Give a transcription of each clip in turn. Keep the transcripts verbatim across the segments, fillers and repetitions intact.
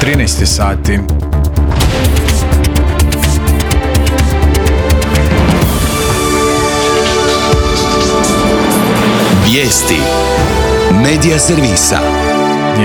trinaest sati. Vijesti Medija servisa.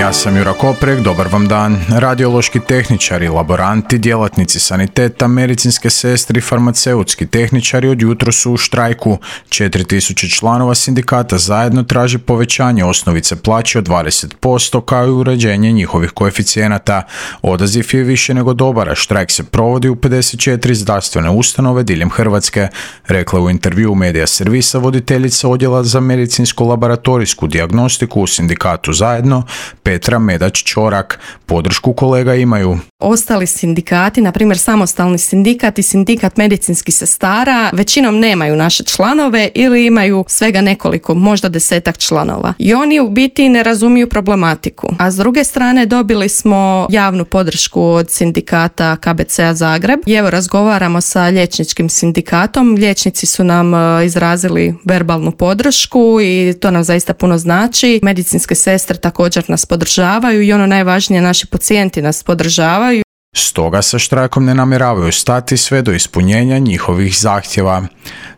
Ja sam Jura Koprek, dobar vam dan. Radiološki tehničari, laboranti, djelatnici saniteta, medicinske sestre i farmaceutski tehničari od jutro su u štrajku. četiri tisuće članova sindikata zajedno traži povećanje osnovice plaće od dvadeset posto kao i uređenje njihovih koeficijenata. Odaziv je više nego dobar, a štrajk se provodi u pedeset četiri zdravstvene ustanove diljem Hrvatske, rekla u intervju Medija servisa voditeljica odjela za medicinsko-laboratorijsku dijagnostiku u sindikatu Zajedno, Petra Medać-Čorak. Podršku kolega imaju. Ostali sindikati, na primjer samostalni sindikat i sindikat medicinskih sestara, većinom nemaju naše članove ili imaju svega nekoliko, možda desetak članova. I oni u biti ne razumiju problematiku. A s druge strane dobili smo javnu podršku od sindikata K B C-a Zagreb. I evo razgovaramo sa liječničkim sindikatom. Liječnici su nam izrazili verbalnu podršku i to nam zaista puno znači. Medicinske sestre također nas podržavaju i ono najvažnije, naši pacijenti nas podržavaju. Stoga sa štrajkom ne namjeravaju stati sve do ispunjenja njihovih zahtjeva.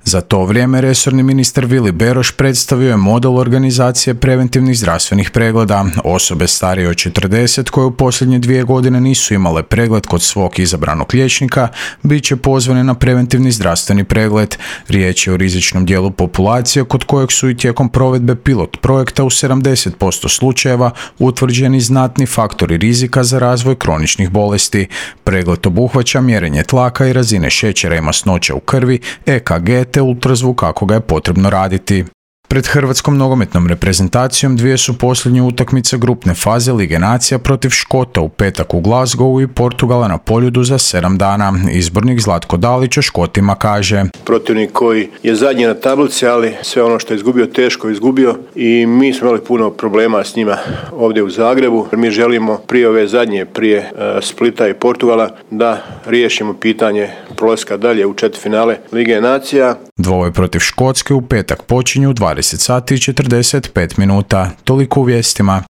Za to vrijeme resorni ministar Vili Beroš predstavio je model organizacije preventivnih zdravstvenih pregleda. Osobe starije od četrdeset koje u posljednje dvije godine nisu imale pregled kod svog izabranog liječnika bit će pozvane na preventivni zdravstveni pregled. Riječ je o rizičnom dijelu populacije kod kojeg su i tijekom provedbe pilot projekta u sedamdeset posto slučajeva utvrđeni znatni faktori rizika za razvoj kroničnih bolesti. Pregled obuhvaća mjerenje tlaka i razine šećera i masnoće u krvi, E K G te ultrazvuk kako ga je potrebno raditi. Pred hrvatskom nogometnom reprezentacijom dvije su posljednje utakmice grupne faze Lige nacija protiv Škota u petak u Glasgowu i Portugala na Poljudu za sedam dana. Izbornik Zlatko Dalić o Škotima kaže: protivnik koji je zadnji na tablici, ali sve ono što je izgubio teško izgubio i mi smo imali puno problema s njima ovdje u Zagrebu. Mi želimo prije ove zadnje, prije uh, Splita i Portugala da riješimo pitanje prolaska dalje u četvrtfinale Lige nacija. Dvoboj protiv Škotske u petak počinju u dvadeset sati i četrdeset pet minuta. Toliko u vijestima.